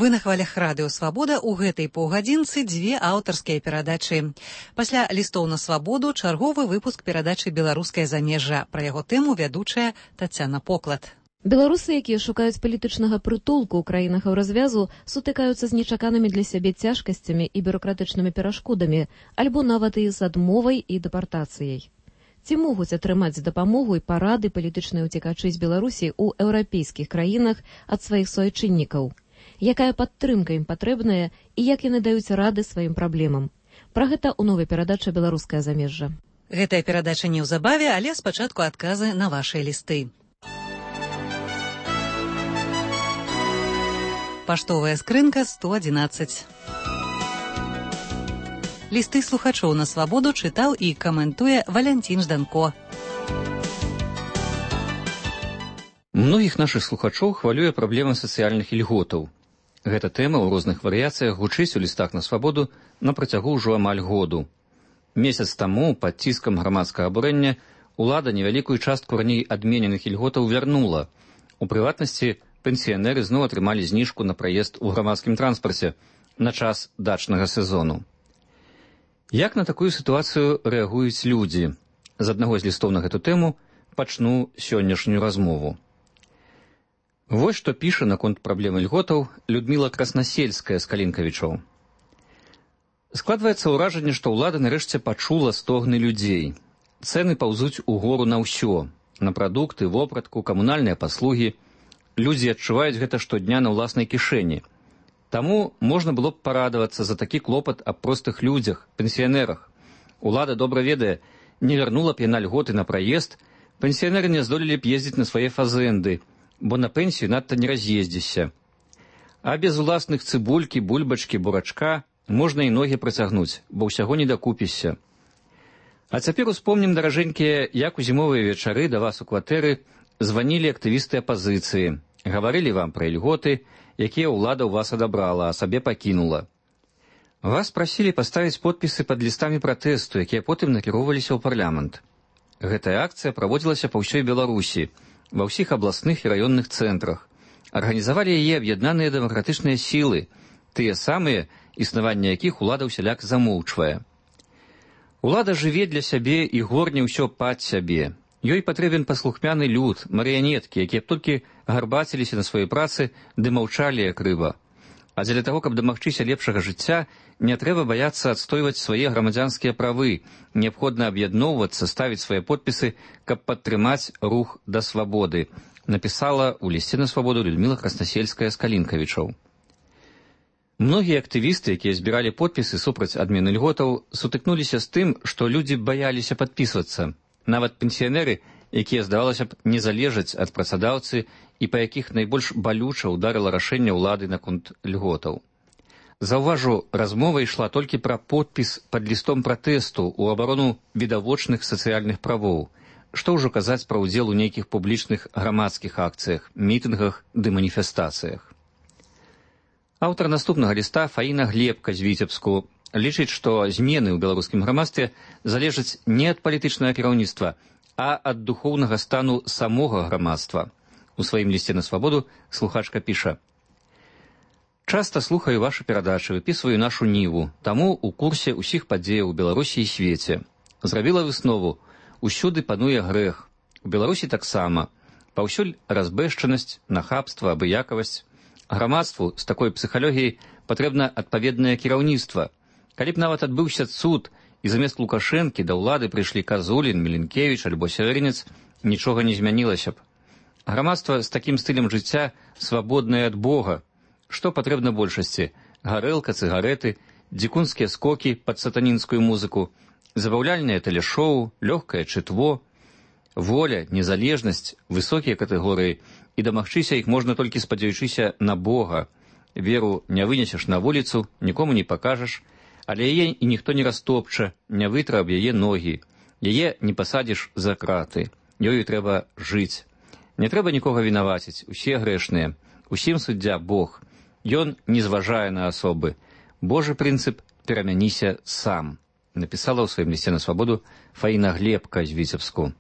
Вы на хвалях радыё «Свабода». У гэтай паўгадзінцы дзве аўтарскія перадачы. Пасля лістоў на свабоду чарговы выпуск перадачы «Беларускае замежжа». Пра яго тэму вядучая Тацяна Поклад. Беларусы, якія шукаюць палітычнага прытулку ў краінах развязу, сутыкаюцца з нечаканымі для сябе цяжкасцямі і бюракратычнымі перашкодамі, альбо нават і з адмовай і дэпартацыяй. Ці могуць атрымаць дапамогу і парады палітычныя ўцекачы з Беларусі ў еўрапейскіх краінах ад сваіх суайчыннікаў? Якая падтрымка ім патрэбная і як яны даюць рады сваім праблемам? Пра гэта ў новай перадачы «Беларускае замежжа». Гэтая перадача неўзабаве, але спачатку адказы на вашыя лісты. Паштовая скрынка 111. Лісты слухачоў на свабоду чытаў і каментуе Валянцін Жданко. Многіх нашых слухачоў хвалюе праблема сацыяльных ільготаў. Гэта тэма ў розных варыяцыях гучыць у лістах на свабоду на працягу ўжо амаль году. Месяц таму пад ціскам грамадскага абурэння ўлада невялікую частку раней адмененых ільготаў вярнула. У прыватнасці, пенсіянеры зноў атрымалі зніжку на праезд у грамадскім транспарце на час дачнага сезону. Як на такую сітуацыю рэагуюць людзі? З аднаго з лістоў на гэту тэму пачну сённяшнюю размову. Вось што піша наконт праблемы льготаў Людміла Краснасельская з Калінкавічоў. Складваецца ўражанне, што ўлада нарэшце пачула стогны людзей. Цэны паўзуць угору на ўсё, на прадукты, вопратку, камунальныя паслугі. Людзі адчуваюць гэта штодня на ўласнай кішэні. Таму можна было б парадавацца за такі клопат аб простых людзях, пенсіянерах. Улада добра ведае, не вярнула б яна льготы на праезд, пенсіянеры не здолелі б ездзіць на свае фазэнды, бо на пенсію надта не раз'ездзішся. А без уласных цыбулькі, бульбачкі, бурачка можна і ногі працягнуць, бо ўсяго не дакупішся. А цяпер успомнім, даражэнькія, як у зімовыя вечары да вас у кватэры званілі актывісты апазіцыі, гаварылі вам пра ільготы, якія ўлада ў вас адабрала, а сабе пакінула. Вас прасілі паставіць подпісы пад лістамі пратэсту, якія потым накіроўваліся ў парламент. Гэтая акцыя праводзілася па ўсёй Беларусі, ва ўсіх абласных і раённых цэнтрах. Арганізавалі яе аб'яднаныя дэмакратычныя сілы, тыя самыя, існаванне якіх улада ўсяляк замоўчвае. Улада жыве для сябе і горне ўсё пад сябе. Ёй патрэбен паслухмяны люд, марыянеткі, якія б толькі гарбаціліся на сваёй працы ды маўчалі як рыба. А дзеля таго, каб дамагчыся лепшага жыцця, не трэба баяцца адстойваць свае грамадзянскія правы, неабходна аб'ядноўвацца, ставіць свае подпісы, каб падтрымаць рух да свабоды, напісала ў лісце на свабоду Людміла Краснасельская з Калінкавічоў. Многія актывісты, якія збіралі подпісы супраць адмены льготаў, сутыкнуліся з тым, што людзі баяліся падпісвацца. Нават пенсіянеры, якія, здавалася б, не залежаць ад працадаўцы і па якіх найбольш балюча ўдарыла рашэнне ўлады наконт льготаў. Заўважу, размова ішла толькі пра подпіс пад лістом пратэсту ў абарону відавочных сацыяльных правоў. Што ўжо казаць пра ўдзел у нейкіх публічных грамадскіх акцыях, мітынгах ды маніфестацыях. Аўтар наступнага ліста Фаіна Глебка з Віцебску лічыць, што змены ў беларускім грамадстве залежаць не ад палітычнага кіраўніцтва, а ад духоўнага стану самога грамадства. У сваім лісце на свабоду слухачка піша: «Часта слухаю вашы перадачы, выпісваю нашу ніву, таму у курсе ўсіх падзеяў у Беларусі і свеце. Зрабіла выснову: усюды пануе грэх. У Беларусі таксама. Паўсюль разбэшчанасць, нахабства, абыякавасць. Грамадству з такой псіхалогіяй патрэбна адпаведнае кіраўніцтва. Калі б нават адбыўся цуд, і замест Лукашэнкі да ўлады прыйшлі Казулін, Міленкевіч альбо Сявярынец, нічога не змянілася б. Грамадства з такім стылем жыцця свабоднае ад Бога. Што патрэбна большасці? Гарэлка, цыгареты, дзікунскія скокі пад сатанінскую музыку, забаўляльнае тэлешоу, лёгкае чытво, воля, незалежнасць, высокія катэгорыі, і дамагчыся іх можна толькі спадзяючыся на Бога. Веру не вынесеш на вуліцу, нікому не пакажаш, але яе і ніхто не растопча, не вытра аб яе ногі. Яе не пасадзіш за краты. Ёю трэба жыць. Не трэба нікога вінаваціць, усе грэшныя. Усім суддзя Бог. Ён не зважае на асобы. Божы прынцып перамяніся сам. Напісала ў сваім лісце на свабоду Фаіна Глебка з Віцебску.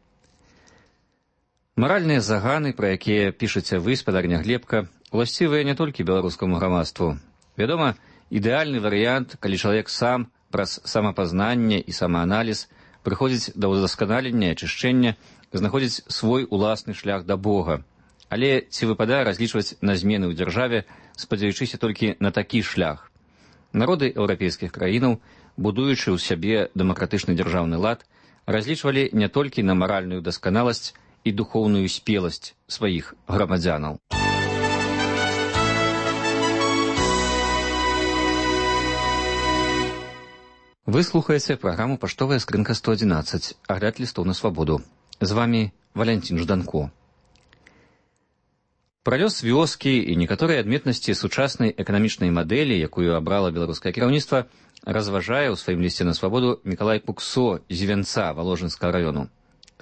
Маральныя заганы, пра якія пішаце вы, спадарня Глебка, уласцівыя не толькі беларускаму грамадству. Вядома, ідэальны варыянт, калі чалавек сам праз самапазнанне і самааналіз прыходзіць да ўдасканалення і ачышчэння, знаходзіць свой уласны шлях да Бога. Але ці выпадае разлічваць на змены ў дзяржаве, спадзяючыся толькі на такі шлях? Народы еўрапейскіх краінаў, будуючы ў сябе дэмакратычны дзяржаўны лад, разлічвалі не толькі на маральную дасканаласць і духоўную спеласць сваіх грамадзянаў. Вы слухаеце праграму «Паштовая скрынка 111», агляд лістоў на свабоду. З вамі Валянцін Жданко. Пра лёс вёскі і некаторыя адметнасці сучаснай эканамічнай мадэлі, якую абрала беларускае кіраўніцтва, разважае ў сваім лісце на свабоду Мікалай Куксо з Івянца Валожынскага раёну.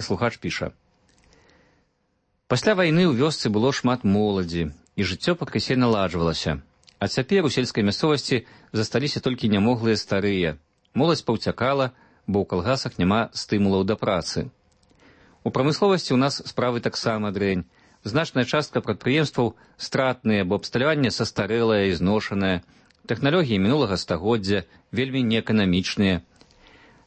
Слухач піша: «Пасля вайны ў вёсцы было шмат моладзі, і жыццё пакрысе наладжвалася. А цяпер у сельскай мясцовасці засталіся толькі нямоглыя старыя. Моладзь паўцякала, бо ў калгасах няма стымулаў да працы. У прамысловасці ў нас справы таксама дрэнь. Значная частка прадпрыемстваў стратныя, бо абсталяванне састарэлае і зношанае. Тэхналогіі мінулага стагоддзя вельмі неэканамічныя.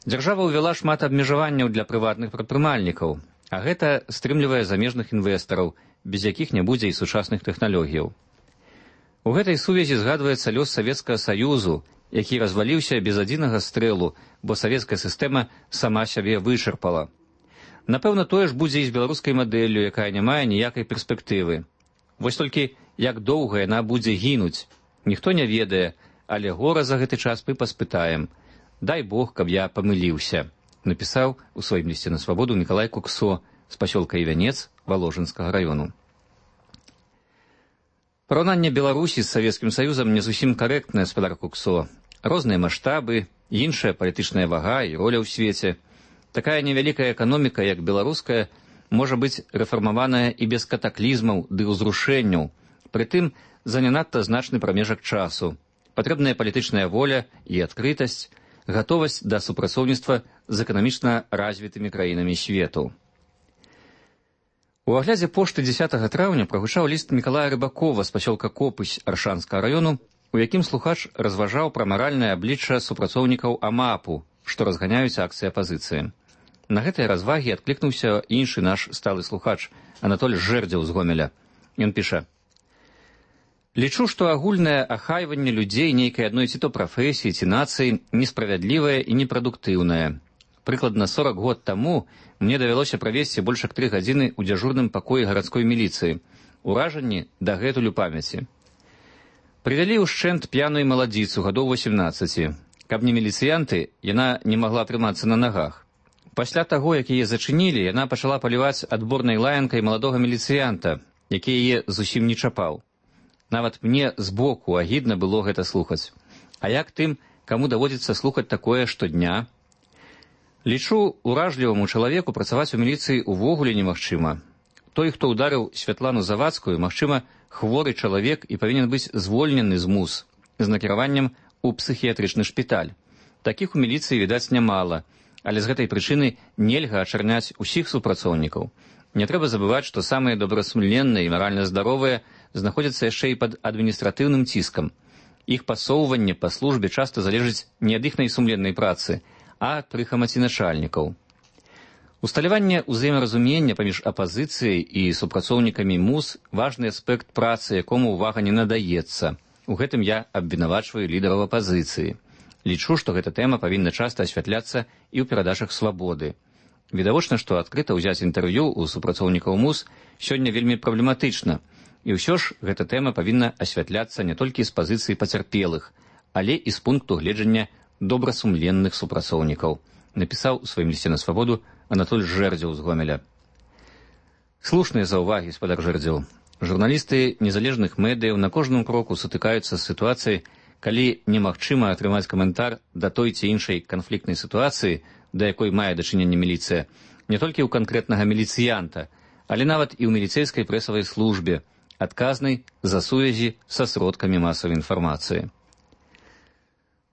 Дзяржава ўвяла шмат абмежаванняў для прыватных прадпрымальнікаў, а гэта стрымлівае замежных інвестараў, без якіх не будзе і сучасных тэхналогіяў. У гэтай сувязі згадваецца лёс Савецкага Саюзу, які разваліўся без адзінага стрэлу, бо савецкая сістэма сама сябе вычарпала. Напэўна, тое ж будзе і з беларускай мадэллю, якая не мае ніякай перспектывы. Вось толькі як доўга яна будзе гінуць, ніхто не ведае, але гора за гэты час мы паспытаем. Дай Бог, каб я памыліўся», напісаў у сваім лісце на свабоду Мікалай Куксо з пасёлка Івянец Валожынскага раёну. Параўнанне Беларусі з Савецкім Саюзам не зусім карэктнае, спадар Куксо. Розныя маштабы, іншая палітычная вага і роля ў свеце. Такая невялікая эканоміка, як беларуская, можа быць рэфармаваная і без катаклізмаў ды ўзрушэнняў, прытым за не надта значны прамежак часу. Патрэбная палітычная воля і адкрытасць, гатовасць да супрацоўніцтва з эканамічна развітымі краінамі свету. У аглядзе пошты 10 траўня прагучаў ліст Мікалая Рыбакова з пасёлка Копысь Аршанскага раёну, у якім слухач разважаў пра маральнае аблічча супрацоўнікаў АМАПу, што разганяюць акцыі апазіцыі. На гэтыя развагі адклікнуўся іншы наш сталы слухач, Анатоль Жэрдзеў з Гомеля. Ён піша: «Лічу, што агульнае ахайванне людзей нейкай адной ці то прафесіі, ці нацыі несправядлівае і непрадуктыўнае. Прыкладна 40 год таму мне давялося правесці больш як 3 гадзіны ў дзяжурным пакоі гарадской міліцыі. Уражанні дагэтуль у памяці. Прывялі ўшчэнт п'яную маладзіцу гадоў 18. Каб не міліцыянты, яна не магла трымацца на нагах. Пасля таго, як яе зачынілі, яна пачала паліваць адборнай лаянкай маладога міліцыянта, які яе зусім не чапаў. Нават мне збоку агідна было гэта слухаць. А як тым, каму даводзіцца слухаць такое штодня? Лічу, уражліваму чалавеку працаваць у міліцыі увогуле немагчыма. Той, хто ударыў Святлану Завадскую, магчыма, хворы чалавек і павінен быць звольнены з МУЗ з накіраваннем у псіхіятрычны шпіталь. Такіх у міліцыі, відаць, нямала, але з гэтай прычыны нельга ачарняць усіх супрацоўнікаў. Не трэба забываць, што самыя добрасумленныя і маральна здаровыя знаходзяцца яшчэ і пад адміністратыўным ціскам. Іх пасоўванне па службе часта залежыць не ад іхнай сумленнай працы, а ад прыхамаці начальнікаў. Усталяванне ўзаемаразумення паміж апазіцыяй і супрацоўнікамі МУЗ важны аспект працы, якому ўвага не надаецца. У гэтым я абвінавачваю лідараў апазіцыі. Лічу, што гэта тэма павінна часта асвятляцца і ў перадачах свабоды. Відавочна, што адкрыта ўзяць інтэрв'ю ў супрацоўнікаў МУЗ сёння вельмі праблематычна. І ўсё ж гэта тэма павінна асвятляцца не толькі з пазіцыі пацярпелых, але і з пункту гледжання добрасумленных супрацоўнікаў, напісаў у сваім лісце на свабоду Анатоль Жэрдзеў з Гомеля. Слушныя заўвагі, спадар Жэрдзеў. Журналісты незалежных медыяў на кожным кроку сутыкаюцца з сітуацыяй, калі немагчыма атрымаць каментар да той ці іншай канфліктнай сітуацыі, да якой мае дачыненне міліцыя, не толькі ў канкрэтнага міліцыянта, але нават і ў міліцэйскай прэсавай службе, адказнай за сувязі са сродкамі масавай інфармацыі.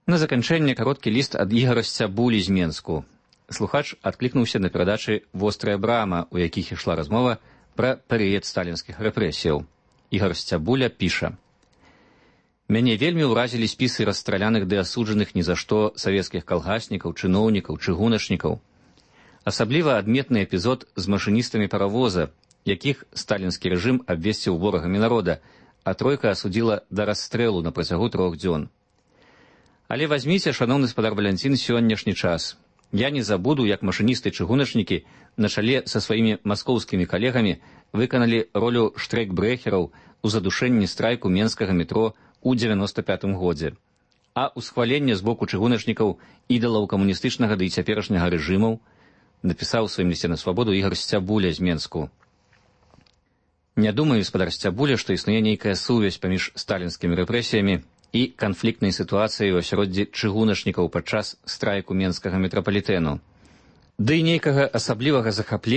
На заканчэнне кароткі ліст ад Ігара Сцябулі з Менску. Слухач адклікнуўся на перадачы «Вострая брама», у якіх ішла размова пра перыяд сталінскіх рэпрэсіяў. Ігар Сцябуля піша: «Мяне вельмі ўразілі спісы расстраляных ды асуджаных ні за што савецкіх калгаснікаў, чыноўнікаў, чыгуначнікаў. Асабліва адметны эпізод з машыністамі паравоза, якіх сталінскі рэжым абвесціў ворагамі народа, а тройка асудзіла да расстрэлу на працягу 3 дзён. Але вазьміце, шаноўны спадар Валянцін, сённяшні час. Я не забуду, як машыністы-чыгуначнікі на чале са сваімі маскоўскімі калегамі выканалі ролю штрайкбрэхераў у задушэнні страйку менскага метро у 95 годзе. А ўсхваленне з боку чыгуначнікаў ідалаў камуністычнага ды і цяперашняга рэжымаў напісаў у сваім лісце на свабоду Ігар Сцябуля з Менску. Не думаю, спадар Сцябуля, што існуе нейкая сувязь паміж сталінскімі рэпрэсіямі і канфліктнай сітуацыяй у асяроддзі чыгуначнікаў падчас страйку менскага метрапалітэну. Ды і нейкага асаблівага захаплення